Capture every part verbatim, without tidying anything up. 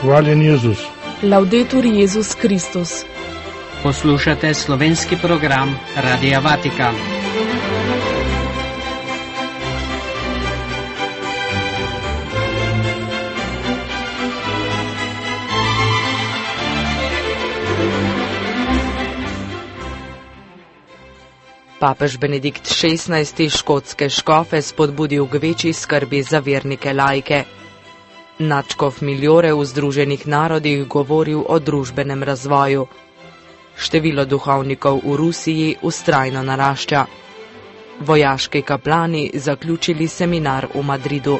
Hvaljen Jezus. Laudetur Jezus Kristus. Poslušate slovenski program Radia Vatikan. Papež Benedikt šestnajsti škotske škofe spodbudil k večji skrbi za vernike laike. Nadškof Miljore v Združenih narodih govoril o družbenem razvoju. Število duhovnikov v Rusiji vztrajno narašča. Vojaški kaplani zaključili seminar v Madridu.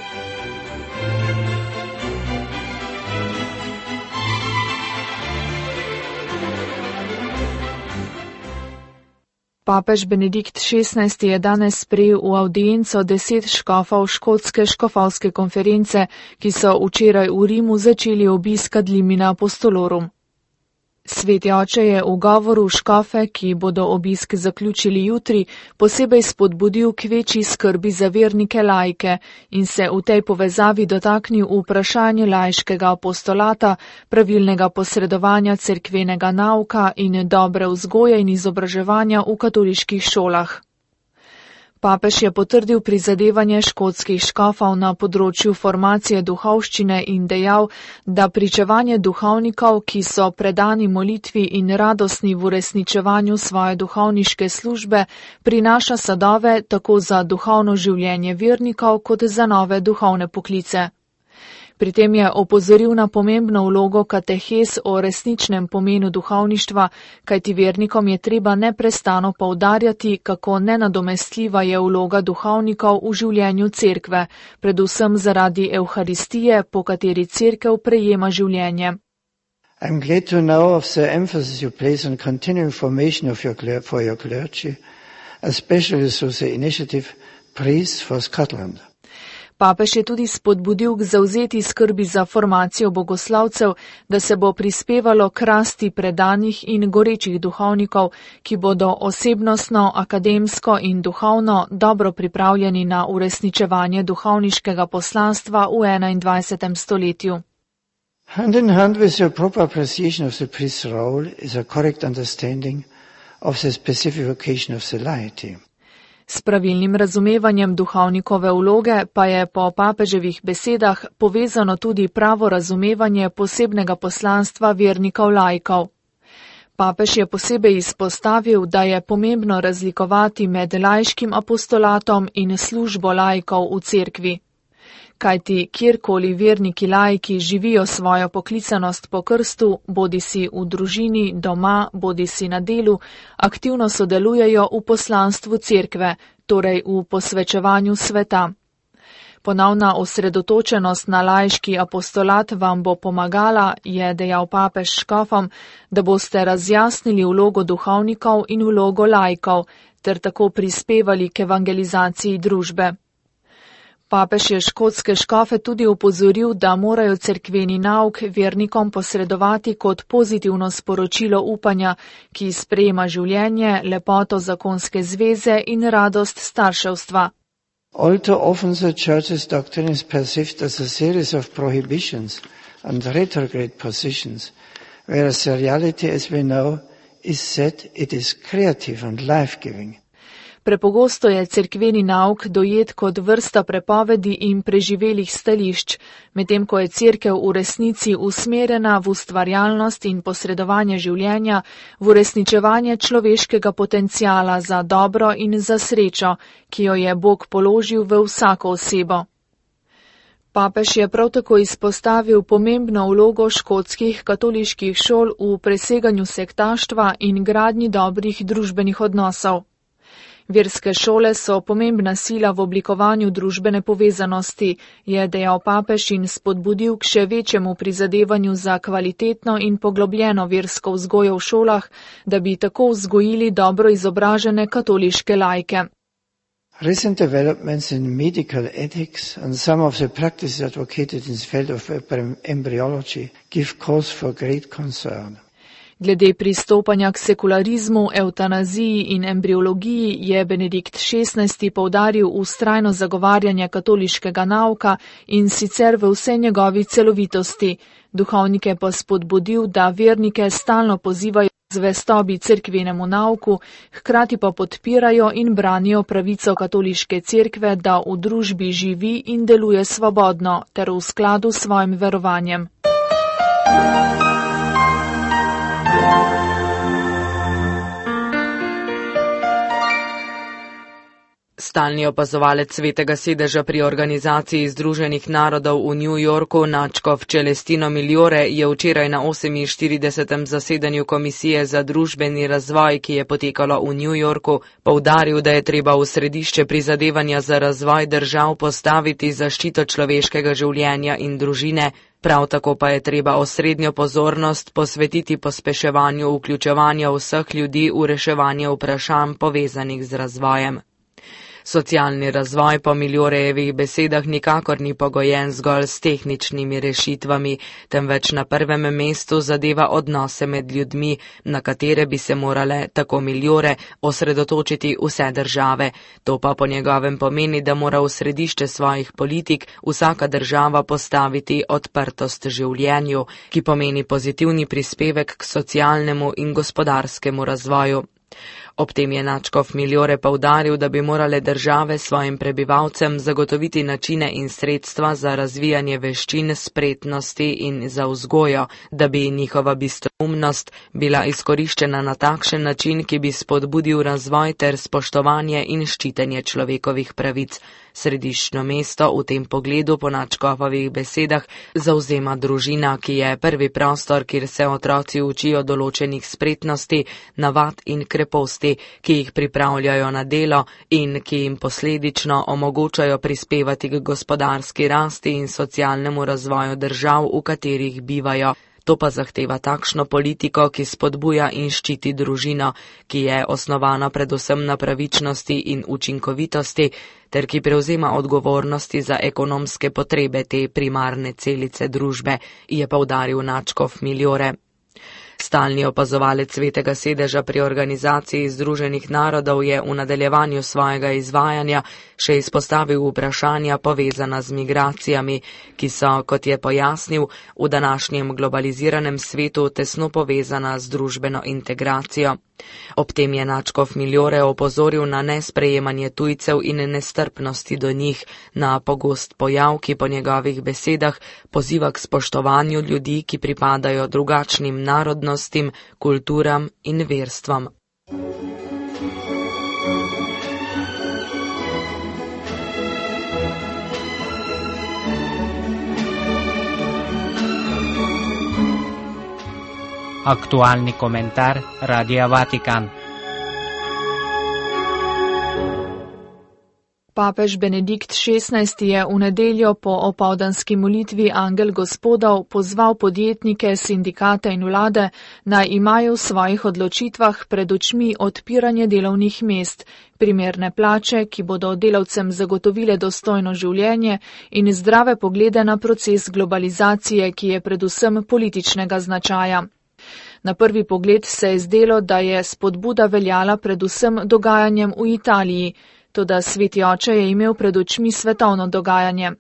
Papež Benedikt šestnajsti je danes sprejel v avdienco deset škofov škotske škofovske konference, ki so včeraj v Rimu začeli obisk ad limina apostolorum. Sveti oče je v govoru škofe, ki bodo obisk zaključili jutri, posebej spodbudil k večji skrbi za vernike laike in se v tej povezavi dotaknil vprašanja laiškega apostolata, pravilnega posredovanja cerkvenega nauka in dobre vzgoje in izobraževanja v katoliških šolah. Papež je potrdil prizadevanje škotskih škofov na področju formacije duhovščine in dejal, da pričevanje duhovnikov, ki so predani molitvi in radostni v uresničevanju svoje duhovniške službe, prinaša sadove tako za duhovno življenje vernikov kot za nove duhovne poklice. Pri tem je opozoril na pomembno vlogo katehes o resničnem pomenu duhovništva, kajti vernikom je treba neprestano poudarjati, kako nenadomestljiva je vloga duhovnikov v življenju cerkve, predvsem zaradi Evharistije, po kateri cerkev prejema življenje. I'm glad to know of the emphasis you place on continuing formation of your, for your clergy, especially through the initiative Priests for Scotland. Papež je tudi spodbudil k zavzeti skrbi za formacijo bogoslavcev, da se bo prispevalo k rasti predanih in gorečih duhovnikov, ki bodo osebnostno, akademsko in duhovno dobro pripravljeni na uresničevanje duhovniškega poslanstva v enaindvajsetem stoletju. Hand in hand with your proper appreciation of the priest's role is a correct understanding of the specific vocation of the laity. S pravilnim razumevanjem duhovnikove vloge pa je po papeževih besedah povezano tudi pravo razumevanje posebnega poslanstva vernikov laikov. Papež je posebej izpostavil, da je pomembno razlikovati med laiškim apostolatom in službo laikov v cerkvi. Kajti kjerkoli verniki laiki živijo svojo poklicanost po krstu, bodisi v družini, doma, bodisi na delu, aktivno sodelujejo v poslanstvu cerkve, torej v posvečevanju sveta. Ponovna osredotočenost na laiški apostolat vam bo pomagala, je dejal papež škofom, da boste razjasnili vlogo duhovnikov in vlogo laikov, ter tako prispevali k evangelizaciji družbe. Papež je škotske škofe tudi opozoril, da morajo cerkveni nauk vernikom posredovati kot pozitivno sporočilo upanja, ki sprejema življenje, lepoto zakonske zveze in radost starševstva. All too often the Church's doctrine is perceived as a series of prohibitions and retrograde positions, whereas the reality, as we know, is that it is creative and life-giving. Prepogosto je cerkveni nauk dojet kot vrsta prepovedi in preživelih stališč, medtem ko je cerkev v resnici usmerjena v ustvarjalnost in posredovanje življenja, v uresničevanje človeškega potenciala za dobro in za srečo, ki jo je Bog položil v vsako osebo. Papež je prav tako izpostavil pomembno vlogo škotskih katoliških šol v preseganju sektaštva in gradnji dobrih družbenih odnosov. Verske šole so pomembna sila v oblikovanju družbene povezanosti, je dejal papež in spodbudil k še večjemu prizadevanju za kvalitetno in poglobljeno versko vzgojo v šolah, da bi tako vzgojili dobro izobražene katoliške laike. Recent developments in medical ethics and some of the practices advocated in the field of embryology give cause for great concern. Glede pristopanja k sekularizmu, evtanaziji in embriologiji je Benedikt šestnajsti poudaril vztrajno zagovarjanje katoliškega nauka in sicer v vsej njegovi celovitosti. Duhovnike pa spodbudil, da vernike stalno pozivajo k zvestobi cerkvenemu nauku, hkrati pa podpirajo in branijo pravico katoliške cerkve, da v družbi živi in deluje svobodno ter v skladu s svojim verovanjem. Stalni opazovalec Svetega sedeža pri Organizaciji Združenih narodov v New Yorku, nadškof Celestino Migliore, je včeraj na oseminštiridesetem zasedanju Komisije za družbeni razvoj, ki je potekalo v New Yorku, poudaril, da je treba v središče prizadevanja za razvoj držav postaviti zaščito človeškega življenja in družine, prav tako pa je treba osrednjo pozornost posvetiti pospeševanju vključevanja vseh ljudi v reševanje vprašanj povezanih z razvojem. Socialni razvoj po Migliorejevih besedah nikakor ni pogojen zgolj s tehničnimi rešitvami, temveč na prvem mestu zadeva odnose med ljudmi, na katere bi se morale, tako Migliore, osredotočiti vse države. To pa po njegovem pomeni, da mora v središče svojih politik vsaka država postaviti odprtost življenju, ki pomeni pozitivni prispevek k socialnemu in gospodarskemu razvoju. Ob tem je nadškof Migliore poudaril, da bi morale države svojim prebivalcem zagotoviti načine in sredstva za razvijanje veščin, spretnosti in za vzgojo, da bi njihova bistroumnost bila izkoriščena na takšen način, ki bi spodbudil razvoj ter spoštovanje in ščitenje človekovih pravic. Središčno mesto v tem pogledu po nadškofovih besedah zavzema družina, ki je prvi prostor, kjer se otroci učijo določenih spretnosti, navad in kreposti, ki jih pripravljajo na delo in ki jim posledično omogočajo prispevati k gospodarski rasti in socialnemu razvoju držav, v katerih bivajo. To pa zahteva takšno politiko, ki spodbuja in ščiti družino, ki je osnovana predvsem na pravičnosti in učinkovitosti, ter ki prevzema odgovornosti za ekonomske potrebe te primarne celice družbe, je poudaril nadškof Migliore. Stalni opazovalec Svetega sedeža pri Organizaciji Združenih narodov je v nadaljevanju svojega izvajanja še izpostavil vprašanja povezana z migracijami, ki so, kot je pojasnil, v današnjem globaliziranem svetu tesno povezana z družbeno integracijo. Ob tem je nadškof Migliore opozoril na nesprejemanje tujcev in nestrpnosti do njih, na pogost pojav, ki po njegovih besedah poziva k spoštovanju ljudi, ki pripadajo drugačnim narodnostim, kulturam in verstvom. Aktualni komentar Radia Vatikan. Papež Benedikt šestnajsti je v nedeljo po opoldanski molitvi Angel Gospodov pozval podjetnike, sindikate in vlade, naj imajo v svojih odločitvah pred očmi odpiranje delovnih mest, primerne plače, ki bodo delavcem zagotovile dostojno življenje in zdrave poglede na proces globalizacije, ki je predvsem političnega značaja. Na prvi pogled se je zdelo, da je spodbuda veljala predvsem dogajanjem v Italiji, toda Sveti oče je imel pred očmi svetovno dogajanje.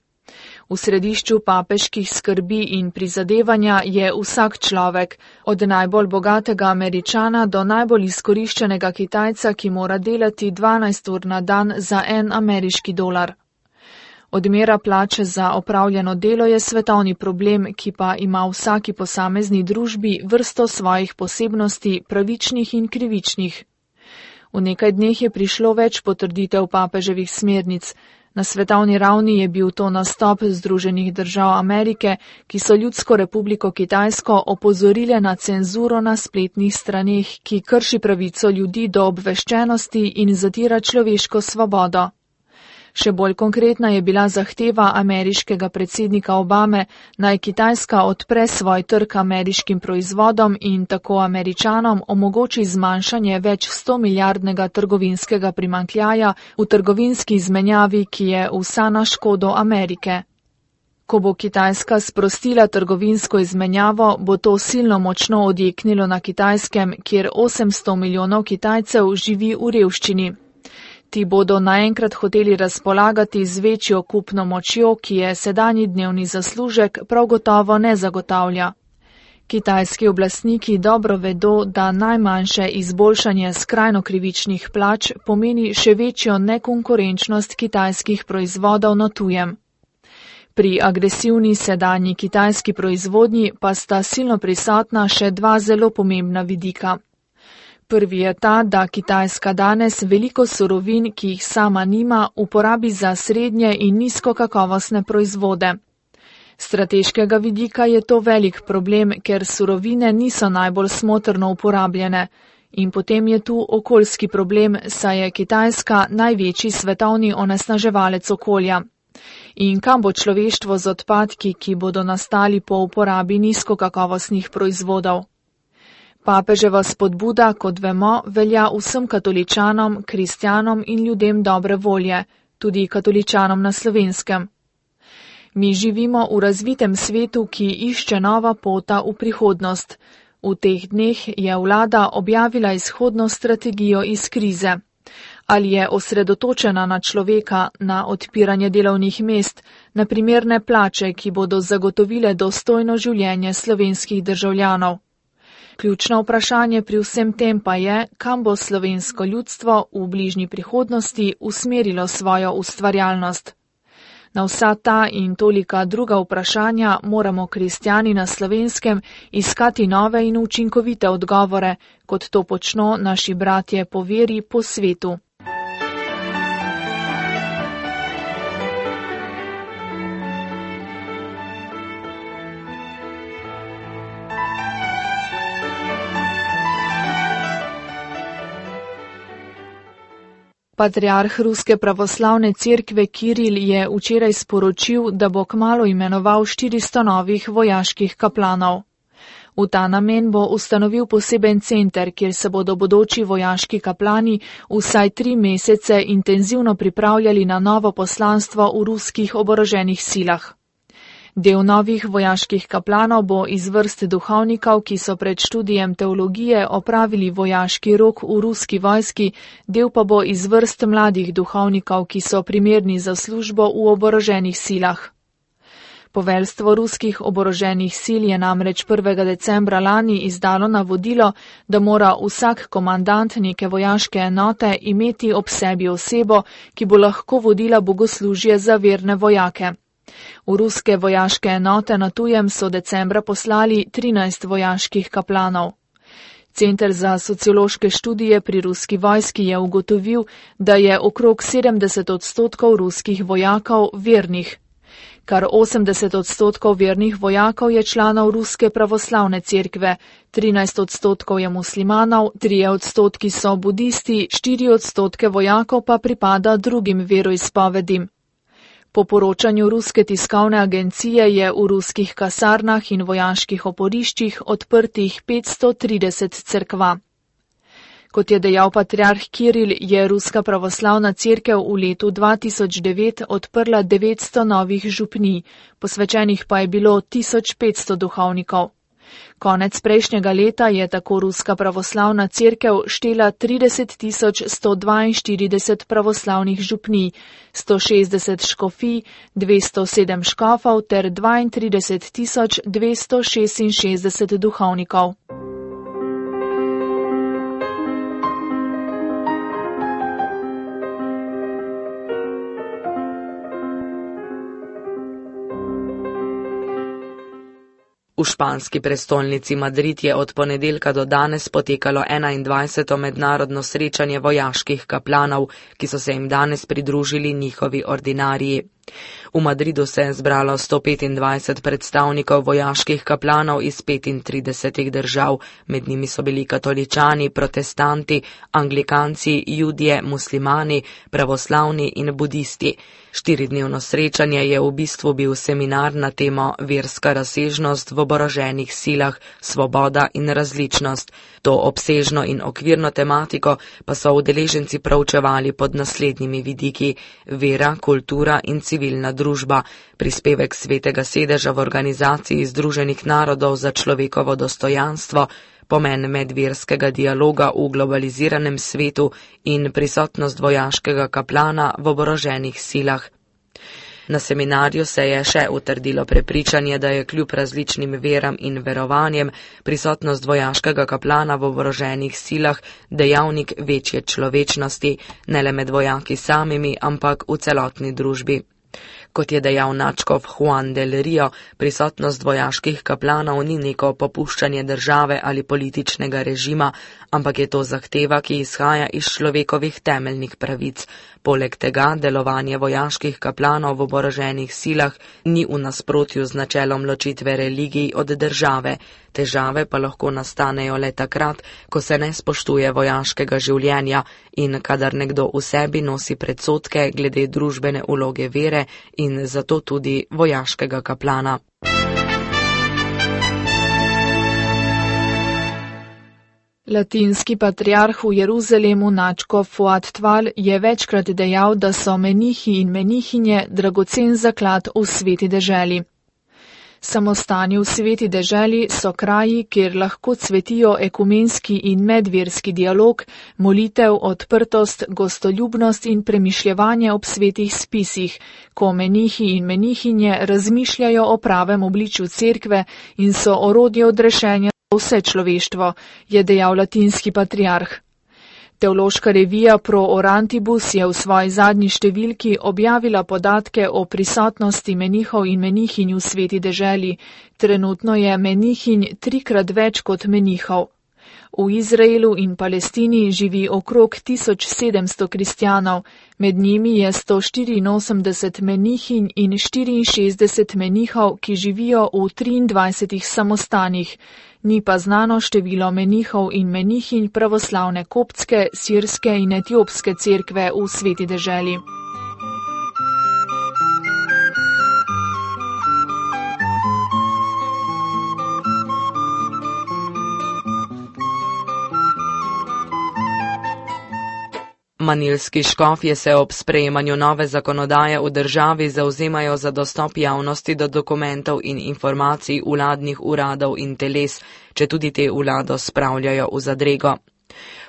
V središču papeških skrbi in prizadevanja je vsak človek, od najbolj bogatega Američana do najbolj izkoriščenega Kitajca, ki mora delati dvanajst ur na dan za en ameriški dolar. Odmera plače za opravljeno delo je svetovni problem, ki pa ima v vsaki posamezni družbi vrsto svojih posebnosti, pravičnih in krivičnih. V nekaj dneh je prišlo več potrditev papeževih smernic. Na svetovni ravni je bil to nastop Združenih držav Amerike, ki so Ljudsko republiko Kitajsko opozorile na cenzuro na spletnih straneh, ki krši pravico ljudi do obveščenosti in zatira človeško svobodo. Še bolj konkretna je bila zahteva ameriškega predsednika Obame, naj Kitajska odpre svoj trg ameriškim proizvodom in tako Američanom omogoči zmanjšanje več sto milijardnega trgovinskega primanjkljaja v trgovinski izmenjavi, ki je vsa na škodo Amerike. Ko bo Kitajska sprostila trgovinsko izmenjavo, bo to silno močno odjeknilo na Kitajskem, kjer osemsto milijonov Kitajcev živi v revščini. Ti bodo naenkrat hoteli razpolagati z večjo kupno močjo, ki je sedanji dnevni zaslužek prav gotovo ne zagotavlja. Kitajski oblastniki dobro vedo, da najmanjše izboljšanje skrajno krivičnih plač pomeni še večjo nekonkurenčnost kitajskih proizvodov na tujem. Pri agresivni sedanji kitajski proizvodnji pa sta silno prisotna še dva zelo pomembna vidika. Prvi je ta, da Kitajska danes veliko surovin, ki jih sama nima, uporabi za srednje in nizkokakovostne proizvode. Strateškega vidika je to velik problem, ker surovine niso najbolj smotrno uporabljene. In potem je tu okoljski problem, saj je Kitajska največji svetovni onesnaževalec okolja. In kam bo človeštvo z odpadki, ki bodo nastali po uporabi nizkokakovostnih proizvodov? Papeževa spodbuda, kot vemo, velja vsem katoličanom, kristjanom in ljudem dobre volje, tudi katoličanom na Slovenskem. Mi živimo v razvitem svetu, ki išče nova pota v prihodnost. V teh dneh je vlada objavila izhodno strategijo iz krize. Ali je osredotočena na človeka, na odpiranje delovnih mest, na primerne plače, ki bodo zagotovile dostojno življenje slovenskih državljanov. Ključno vprašanje pri vsem tem pa je, kam bo slovensko ljudstvo v bližnji prihodnosti usmerilo svojo ustvarjalnost. Na vsa ta in tolika druga vprašanja moramo kristjani na Slovenskem iskati nove in učinkovite odgovore, kot to počno naši bratje po veri po svetu. Patriarh Ruske pravoslavne cerkve Kiril je včeraj sporočil, da bo kmalu imenoval štiristo novih vojaških kaplanov. V ta namen bo ustanovil poseben center, kjer se bodo bodoči vojaški kaplani vsaj tri mesece intenzivno pripravljali na novo poslanstvo v ruskih oboroženih silah. Del novih vojaških kaplanov bo iz vrst duhovnikov, ki so pred študijem teologije opravili vojaški rok v ruski vojski, del pa bo iz vrst mladih duhovnikov, ki so primerni za službo v oboroženih silah. Poveljstvo ruskih oboroženih sil je namreč prvega decembra lani izdalo navodilo, da mora vsak komandant neke vojaške enote imeti ob sebi osebo, ki bo lahko vodila bogoslužje za verne vojake. V ruske vojaške enote na tujem so decembra poslali trinajst vojaških kaplanov. Center za sociološke študije pri ruski vojski je ugotovil, da je okrog sedemdeset odstotkov ruskih vojakov vernih. Kar osemdeset odstotkov vernih vojakov je članov Ruske pravoslavne cerkve, trinajst odstotkov je muslimanov, trije odstotki so budisti, štiri odstotke vojakov pa pripada drugim veroizpovedim. Po poročanju ruske tiskovne agencije je v ruskih kasarnah in vojaških oporiščih odprtih petsto trideset cerkva. Kot je dejal patriarh Kiril, je Ruska pravoslavna cerkev v letu dva tisoč devet odprla devetsto novih župnij, posvečenih pa je bilo tisoč petsto duhovnikov. Konec prejšnjega leta je tako Ruska pravoslavna cerkev štela trideset tisoč sto dvainštirideset pravoslavnih župnij, sto šestdeset škofij, dvesto sedem škofov ter dvaintrideset tisoč dvesto šestinšestdeset duhovnikov. V španski prestolnici Madrid je od ponedeljka do danes potekalo enaindvajseto mednarodno srečanje vojaških kaplanov, ki so se jim danes pridružili njihovi ordinariji. V Madridu se je zbralo sto petindvajset predstavnikov vojaških kaplanov iz petintridesetih držav, med njimi so bili katoličani, protestanti, anglikanci, judje, muslimani, pravoslavni in budisti. Štiridnevno srečanje je v bistvu bil seminar na temo verska razsežnost v oboroženih silah, svoboda in različnost. To obsežno in okvirno tematiko pa so udeleženci proučevali pod naslednjimi vidiki: vera, kultura in civilna družba, prispevek Svetega sedeža v Organizaciji Združenih narodov za človekovo dostojanstvo, pomen medverskega dialoga v globaliziranem svetu in prisotnost vojaškega kaplana v oboroženih silah. Na seminarju se je še utrdilo prepričanje, da je kljub različnim veram in verovanjem prisotnost vojaškega kaplana v oboroženih silah dejavnik večje človečnosti, ne le med vojaki samimi, ampak v celotni družbi. Kot je dejal nadškof Juan del Rio, prisotnost vojaških kaplanov ni neko popuščanje države ali političnega režima, ampak je to zahteva, ki izhaja iz človekovih temeljnih pravic. Poleg tega delovanje vojaških kaplanov v oboroženih silah ni v nasprotju z načelom ločitve religij od države. Težave pa lahko nastanejo le takrat, ko se ne spoštuje vojaškega življenja in kadar nekdo v sebi nosi predsodke glede družbene vloge vere in zato tudi vojaškega kaplana. Latinski patriarh v Jeruzalemu nadškof Fuad Tval je večkrat dejal, da so menihi in menihinje dragocen zaklad v sveti deželi. Samostani v sveti deželi so kraji, kjer lahko cvetijo ekumenski in medverski dialog, molitev, odprtost, gostoljubnost in premišljevanje ob svetih spisih, ko menihi in menihinje razmišljajo o pravem obličju cerkve in so orodje odrešenja za vse človeštvo, je dejal latinski patriarh. Teološka revija Pro Orantibus je v svoji zadnji številki objavila podatke o prisotnosti menihov in menihinj v sveti deželi. Trenutno je menihinj trikrat več kot menihov. V Izraelu in Palestini živi okrog tisoč sedemsto kristjanov, med njimi je sto štiriinosemdeset menihinj in štiriinšestdeset menihov, ki živijo v triindvajsetih samostanih. Ni pa znano število menihov in menihinj pravoslavne koptske, sirske in etiopske cerkve v sveti deželi. Manilski škofje se ob sprejemanju nove zakonodaje v državi zavzemajo za dostop javnosti do dokumentov in informacij vladnih uradov in teles, če tudi te vlado spravljajo v zadrego.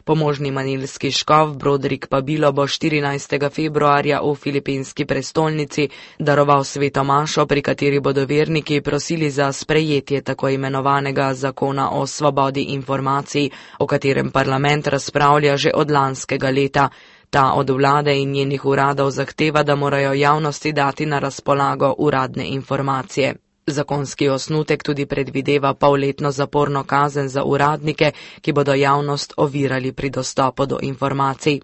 Pomožni manilski škof Brodrik Pabilo bo štirinajstega februarja v filipinski prestolnici daroval sveto mašo, pri kateri bodo verniki prosili za sprejetje tako imenovanega zakona o svobodi informacij, o katerem parlament razpravlja že od lanskega leta. Ta od vlade in njenih uradov zahteva, da morajo javnosti dati na razpolago uradne informacije. Zakonski osnutek tudi predvideva polletno zaporno kazen za uradnike, ki bodo javnost ovirali pri dostopu do informacij.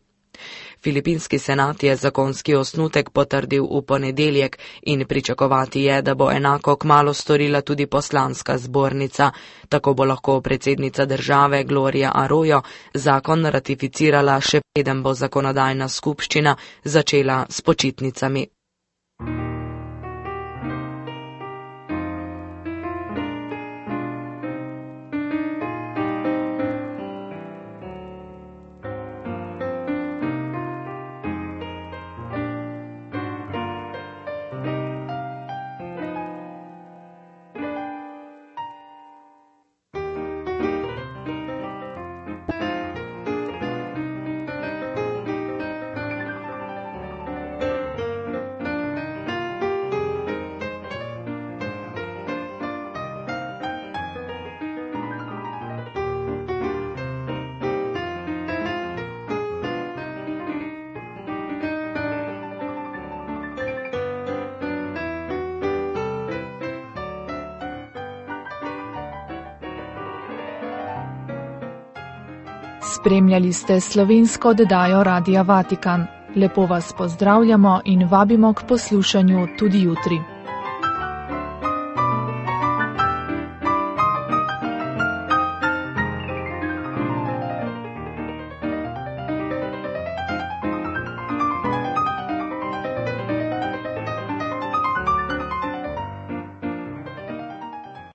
Filipinski senat je zakonski osnutek potrdil v ponedeljek in pričakovati je, da bo enako kmalu storila tudi poslanska zbornica. Tako bo lahko predsednica države Gloria Arroyo zakon ratificirala, še preden bo zakonodajna skupščina začela s počitnicami. Spremljali ste slovensko oddajo Radia Vatikan. Lepo vas pozdravljamo in vabimo k poslušanju tudi jutri.